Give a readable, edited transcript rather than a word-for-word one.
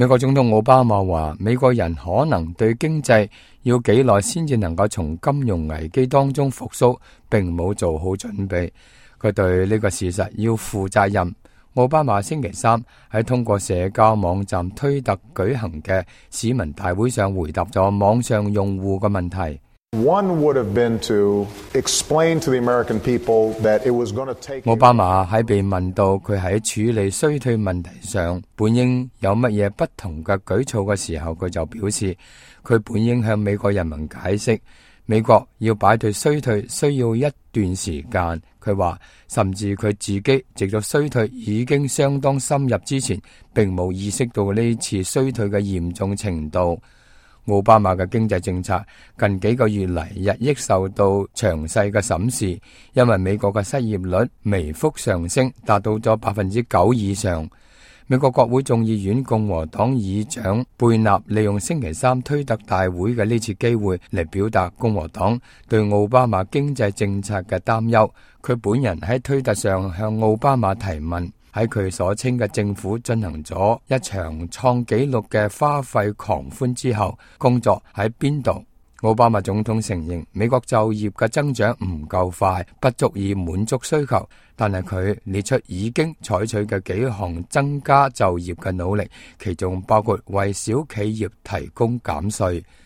美國總統奧巴馬話，美國人可能對經濟要幾耐先至能夠從金融危機當中復甦，並冇做好準備。佢對呢個事實要負責任。奧巴馬星期三喺通過社交網站推特舉行嘅市民大會上回答咗網上用戶嘅問題。奧巴馬喺被問到佢喺處理衰退問題上本應有乜嘢不同嘅舉措嘅時候，佢就表示佢本應向美國人民解釋，美國要擺脫衰退需要一段時間。佢話甚至佢自己直到衰退已經相當深入之前，並冇意識到呢次衰退嘅嚴重程度。奧巴馬嘅經濟政策近幾個月嚟日益受到詳細嘅審視，因為美國嘅失業率微幅上升，達到咗9%以上。美國國會眾議院共和黨議長貝納利用星期三推特大會嘅呢次機會嚟表達共和黨對奧巴馬經濟政策嘅擔憂。佢本人喺推特上向奧巴馬提問，喺佢所稱嘅政府進行咗一場創紀錄嘅花費狂歡之後，工作喺邊度？奧巴馬總統承認美國就業嘅增長唔夠快，不足以滿足需求，但係佢列出已經採取嘅幾項增加就業嘅努力，其中包括為小企業提供減稅。